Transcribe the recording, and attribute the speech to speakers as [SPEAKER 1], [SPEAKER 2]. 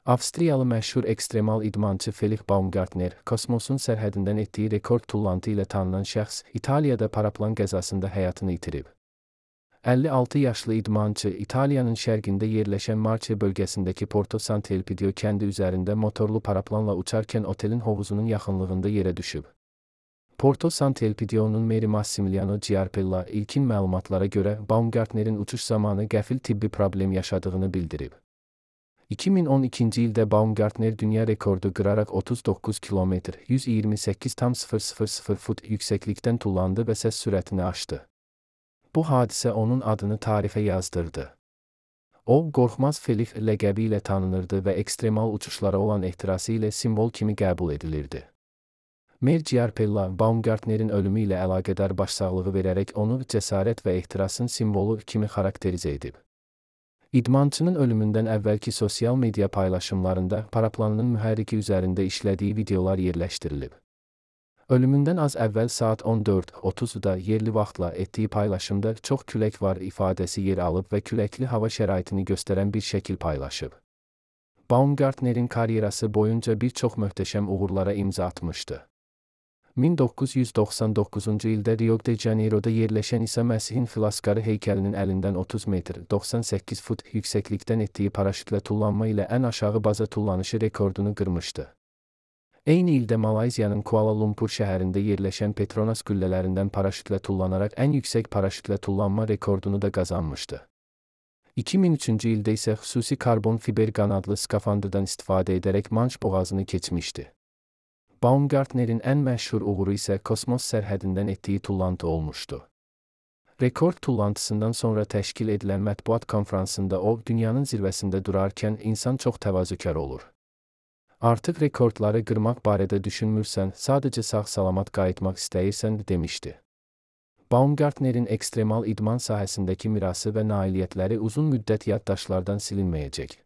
[SPEAKER 1] Avstriyalı məşhur ekstremal idmançı Felix Baumgartner, kosmosun sərhədindən etdiyi rekord tullantı ilə tanınan şəxs İtaliyada paraplan qəzasında həyatını itirib. 56 yaşlı idmançı İtaliyanın şərqində yerləşən Marche bölgəsindəki Porto Sant'Elpidio kəndi üzərində motorlu paraplanla uçarkən otelin hovuzunun yaxınlığında yerə düşüb. Porto Sant'Elpidio'nun meri Massimiliano Giarpella ilkin məlumatlara görə Baumgartnerin uçuş zamanı qəfil tibbi problem yaşadığını bildirib. 2012-ci ildə Baumgartner dünya rekordu qıraraq 39 km 128,000 fut yüksəklikdən tullandı və səs sürətini aşdı. Bu hadisə onun adını tarixə yazdırdı. O, qorxmaz Felix ləqəbi ilə tanınırdı və ekstremal uçuşlara olan ehtirası ilə simvol kimi qəbul edilirdi. Mer Giarpella, Baumgartnerin ölümü ilə əlaqədar başsağlığı verərək onu cəsarət və ehtirasın simvolu kimi xarakterizə edib. İdmançının ölümündən əvvəlki sosial media paylaşımlarında paraplanının mühərriki üzərində işlədiyi videolar yerləşdirilib. Ölümündən az əvvəl saat 14:30-da yerli vaxtla etdiyi paylaşımda çox külək var ifadəsi yer alıb və küləkli hava şəraitini göstərən bir şəkil paylaşıb. Baumgartnerin karyerası boyunca bir çox möhtəşəm uğurlara imza atmışdı. 1999-cu ildə Rio de Janeiro'da yerləşən İsa Məsihin Filaskarı heykəlinin əlindən 30 metr 98 fut yüksəklikdən etdiyi paraşütlə tullanma ilə ən aşağı baza tullanışı rekordunu qırmışdı. Eyni ildə Malayziyanın Kuala Lumpur şəhərində yerləşən Petronas qüllələrindən paraşütlə tullanaraq ən yüksək paraşütlə tullanma rekordunu da qazanmışdı. 2003-cü ildə isə xüsusi karbon fiber qanadlı skafandrdan istifadə edərək Manş boğazını keçmişdi. Baumgartnerin ən məşhur uğuru isə kosmos sərhədindən etdiyi tullantı olmuşdu. Rekord tullantısından sonra təşkil edilən mətbuat konfransında o, dünyanın zirvəsində durarkən insan çox təvazökar olur. Artıq rekordları qırmaq barədə düşünmürsən, sadəcə sağ-salamat qayıtmaq istəyirsən, demişdi. Baumgartnerin ekstremal idman sahəsindəki mirası və nailiyyətləri uzun müddət yaddaşlardan silinməyəcək.